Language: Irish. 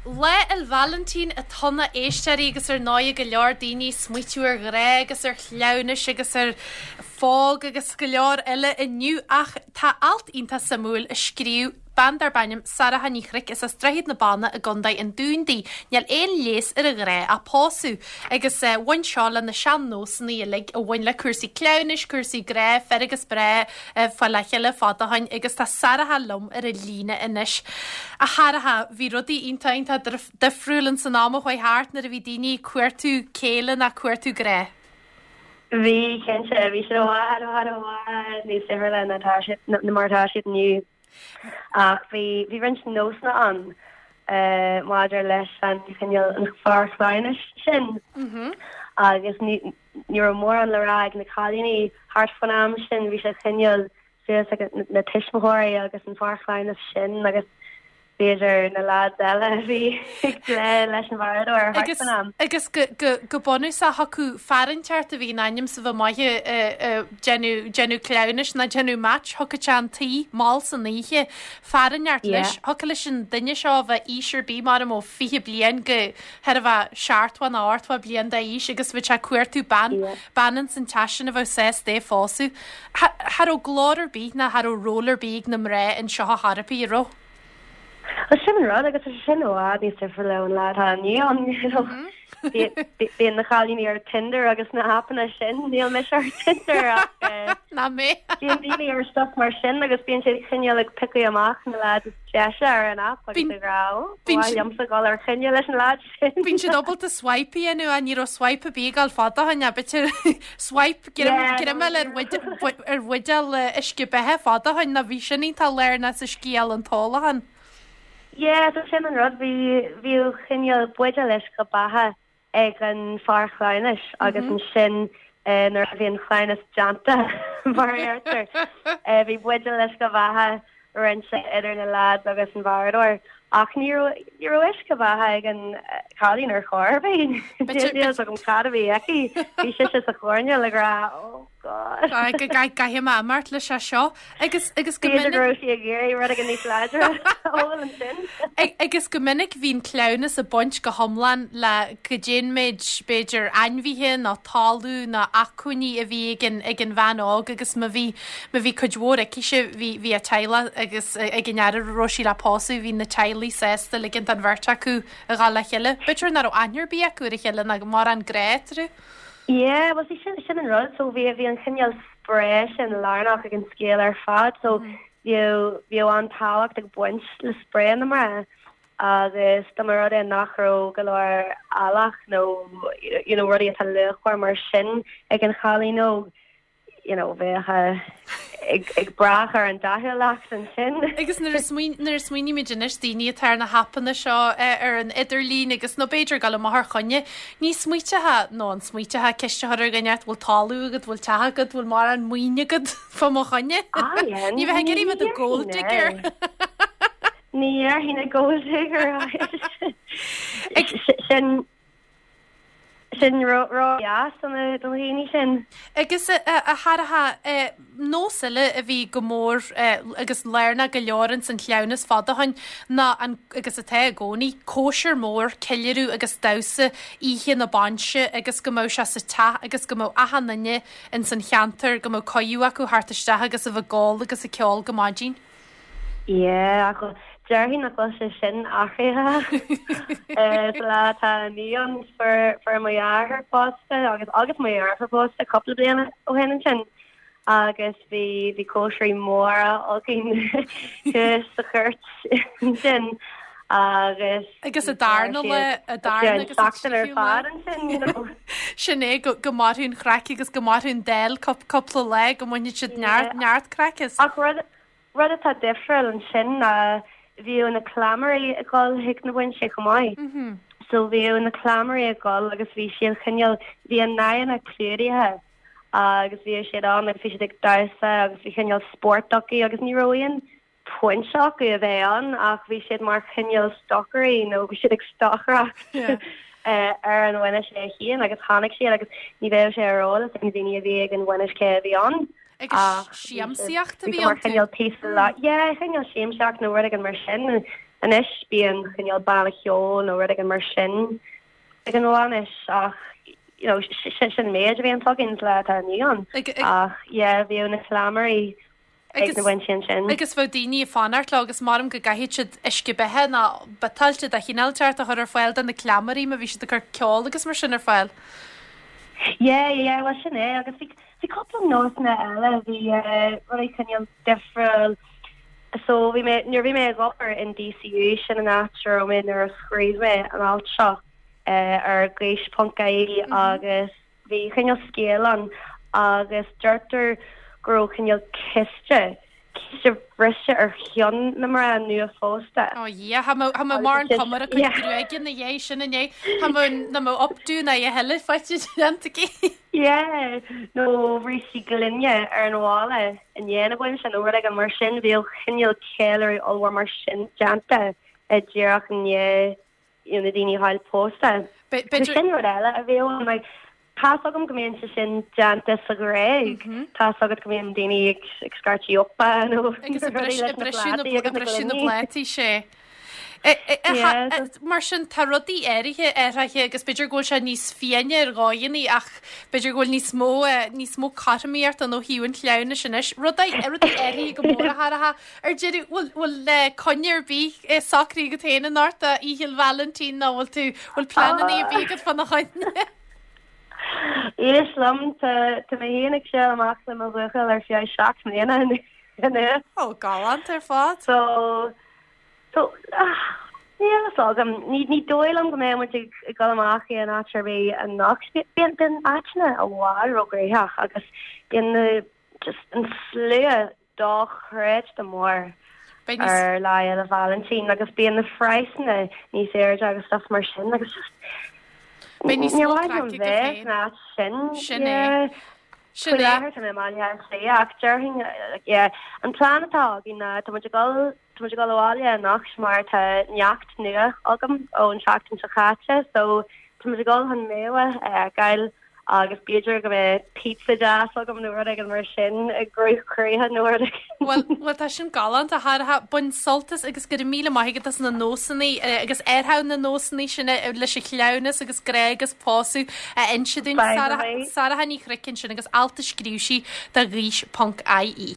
Lá 'le Vailintín atá ann a éisteoirí agus ar ndóigh go leor daoine ag smaoitiú ar ghrá agus ar chleamhnais agus ar phóg agus go leor eile inniu ach tá alt iontach suimiúil a scríobh bean darb ainm Sarah Ní Chnoic is as Droichead na Banna i gContae an Dúin di. Níl aon leigheas ar an ghrá ach pósadh. Agus bhain seo le na sean-nósanna uilig a bhain le cúrsaí cleamhnais, cúrsaí grá, fir agus mná ag fáil le chéile fada ó shoin agus tá Sarah liom ar an líne anois. A Sharaha, bhí rudaí iontach iontach difriúil ins an am a chuaigh thart nuair a bhí daoine ag cuartú céile nó cuartú grá. Bhí, cinnte. Bhí siad i bhfad, i bhfad, i bhfad níos difriúla ná tá siad, ná mar atá siad inniu. Ach bhí, bhí roinnt nósanna ann maidir leis an chineál, an fear cleamhnais sin. Agus ní, ní raibh mórán le rá ag na cailíní thart faoin am sin, bhí sé cineál suas ag na tuismitheoirí agus an fear cleamhnais sin agus b'fhéidir na leaids eile a bhí ag plé leis an bhfaradóir thart faoin am. Agus go bunúsach thiocfadh fear inteacht a bhí in ainm 's a bheith maith ag déanamh cleamhnais ná déanamh match, thiocfadh sé 'un tí mall san oíche, fear inteacht leis, thiocfadh leis an duine seo a bheith aois ar bith mar ó 20 bliain go chóir a bheith seachtó nó ochtó bliain d'aois agus bheadh sé ag cuartú bean, bean ins an teach sin a bheadh sásta é a phósadh. Cha raibh glór ar bith ná cha raibh ról ar bith ag na mná anseo ar chor ar bith, an raibh? Bhuel sin an rud agus tá sé sin i bhfad níos difriúla ón lá atá inniu ann, you know. Bíonn na cailíní ar Tinder agus na haipeanna sin, níl mise ar Tinder ach Ná mé. bíonn daoine ar stuff mar sin agus bíonn siad cineál ag piocadh amach na lads is deise ar an aip agus ag rá ó, ba mhaith liomsa dul ar choinne leis an lad sin. Bíonn siad ábalta swipe a dhéanamh ach ní raibh swipe ar bith ag gabháil fada ó shin, b'fhéidir swipe greamáil ar ar bhuidéal uisce beatha fada ó shin nó bhí sin iontach lárnach sa scéal an t-ólachán. Yeah, so sin an rud, bhí, bhíodh cineál buidéal uisce beatha ag an fear cleamhnais agus ansin nuair a bhí an cleamhnas déanta, mar a deirtear, bhí buidéal uisce beatha roinnte idir na leaids agus an bhfaradóir. Ach ní raibh, ní raibh uisce beatha ag an chailín ar chor ar bith. Níl a fhios agam cad a bhí aici. Bhí sise sa choirnéal ag rá, oh God. Go gcaithfidh mé imeacht leis seo. Agus, agus go minic. B'fhéidir go raibh sí ag iarraidh rud éigin níos láidre a ól ansin. Agus go minic bhí an cleamhnas ag baint go hiomlán le goidé an méid, b'fhéidir, ainmhithe nó talamh nó acmhainní a bhí ag an, ag an bhean óg agus má bhí, má bhí cuid mhór aicise, bhí, bhí a teaghlach agus ag an fhear a raibh sí le pósadh, bhí na teaghlaigh sásta ligint don bheirt acu a dhul le chéile. B'fhéidir nach raibh aithne ar bith acu ar a chéile ná mórán grá eatarthu. Yeah, well see sin, sin an rud, so bhí, bhí an chineál spraoi sin lárnach ag an scéal ar fad, so bhíodh, bhíodh an-tábhacht ag baint le spraoi na mná agus dá mba rud é nach raibh go leor eallach nó you know rudaí atá luachmhar mar sin ag an chailín óg, you know, bheadh ag, ag brath ar an dathúlacht ansin. Agus nuair a smaoin, nuair a smaoinímid anois, daoine atá ar na haipeanna seo ar an idirlíon agus, nó b'fhéidir ag dul amach ar choinne, ní smaoiteofá, nó an smaoiteofá, ceist a chur ar dhuine, bhfuil talamh agat, bhfuil teach agat, bhfuil mórán maoin agat fá mo choinne? Ah, yeah, Ní bheifeá ag iarraidh bheith i do gold digger. Ní dhéarfainn a gold digger. Sin, Sin ró-dheas do na daoine sin. Agus a Sharaha, nós eile a bhí go mór agus lárnach go leor ins an chleamhnas fada ó shoin ná an, agus atá i gcónaí, cóisir mór, ceiliúradh agus damhsa oíche na bainse agus go mbeadh sé sa teach agus go mbeadh achan duine ins an cheantar, go mbeadh cuidiú acu theacht isteach agus a bheith ag ól agus ag ceol go maidin. Yeah, ach déarfainn nach bhfuil sé sin athraithe sa lá atá inniu ann. Fuair fuair mo dheartháir pósta agus agus mo dheirfiúr pósta cúpla bliain ó shin ansin agus bhí bhí cóisirí móra againn thuas sa chúirt ansin agus Agus a darna lá, a darna agus a seachtain ar fad ansin, you know. Sin é go go mairfidh an chraic agus go mairfidh an dáil cúpla lá go mbainfidh siad neart neart craic as. Ach rud Rud atá difriúil ansin ná bhíodh na cleamairí ag dul chuig na bainse chomh maith. So bhíodh na cleamairí ag dul agus bhí siad cineál, bhí a n-aghaidheanna clúdaithe agus bhíodh siad ann agus bhí siad ag damhsa agus bhí cineál spórt acu agus ní raibh aon phointe acu a bheith ann ach bhí siad mar chineál stocairí nó bhí siad ag stocaireacht ar an bhainis é féin agus tháinig siad agus ní bheadh sé ar eolas ag na daoine a bhí ag an bhainis cé a bhí ann. Agus siamsaíocht a bhí iontu. Mar chineál píosa lá, yeah, cineál siamsaíocht nó rud éigin mar sin. Anois bíonn cineál banna ceoil nó rud éigin mar sin ag an bhainis ach you know sin an méid a bhíonn againn sa lá atá inniu ann. Ach yeah bhíodh na cleamairí ag na bainsí ansin. Agus bheadh daoine ag fanacht leo agus maram go gcaithfeadh siad uisce beatha nó biotáilte de chineál inteacht a chur ar fáil do na cleamairí má bhí siad ag cur ceol agus mar sin ar fáil. Yeah, yeah, well sin é agus bhí bhí cúpla nósanna eile, bhí rudaí cineál difriúil. So bhí mé, nuair a bhí mé ag obair in DCU, sin an áit a raibh mé nuair a scríobh mé an alt seo ar gaois ponc ie agus bhí cineál scéal ann agus deirtear go raibh cineál císte, císte briste ar cheann na mná nua-phósta. Ó Dhia, cha mbeadh, cha mbeadh mórán cuma ar a cuid gruaige ina dhiaidh sin inné, cha mbeadh, nach mbeadh updo ná a thuilleadh faighte déanta aici. Yeah, nó bhrístí gloine ar an bhalla i ndiaidh na bainse nó rud éigin mar sin, bhíodh cineál ceiliúradh ollmhór mar sin déanta díreach i ndiaidh you know na daoine a fháil pósta. B'fhéidir. Sin rud eile a bhíodh ann, like tá's agam go mbíonn sé sin déanta sa Ghréig, tá's agat go mbíonn daoine ag ag scairteadh opa nó Agus ag rudaí leis na plátaí agus na briseadh na bplátaí, sé. Mar sin, tá rudaí áirithe athraithe agus b'fhéidir go bhfuil sé níos fiáine ar dhóigheanna ach b'fhéidir go bhfuil níos mó níos mó cothromaíochta ann ó thaobh an chleamhnais anois. Rudaí rudaí athraithe go mór a Shárah. Ar deireadh, bhfuil bhfuil coinne ar bith socraithe agat féin anocht do Oíche Vailintín nó bhfuil tú bhfuil pleananna ar bith agat fána choinne? Éist liom, tá tá mé féin ag siúl amach le mo bhuachaill ar feadh 7 mbliana anois. Ó, galánta ar fad. So, So, níl a fhios agam. Ní, ní dóigh liom go mbeidh muid ag, ag dul amach aon áit ar bith anocht. Bíonn, bíonn áiteanna i bhfad róghnóthach agus bíonn na, just an slua dochreidte mór Beidh níos. ar Lá Fhéile Vailintín agus bíonn na praghsanna níos airde agus stuff mar sin agus just Beidh níos níor mó mhaith liom craic agat bheith féin. san áit sin. Sin é. Yeah. Sin Faoi é. láthair tá mé i mBaile Átha Cliath ach déarfainn, yeah, an plean atá againn ná tá muid ag dul, tá muid ag dul abhaile anocht mar tá neacht nua agam ón tseachtain seo caite so tá muid ag dul chun Méabh a fheiceáil agus b'fhéidir go mbeidh pizza deas agam nó rud éigin mar sin i gcruth croíthe nó rud éigin. Bhuel, bhuel tá sin galánta, a Shárah. Bain sult as agus go raibh míle maith agat as na nósanna agus athrú na nósanna sin leis an chleamhnas agus grá agus pósadh a inse dúinn. By the way. Sarah Ní Chnoic ansin agus alt a scríobh sí do Ghaois ponc IE.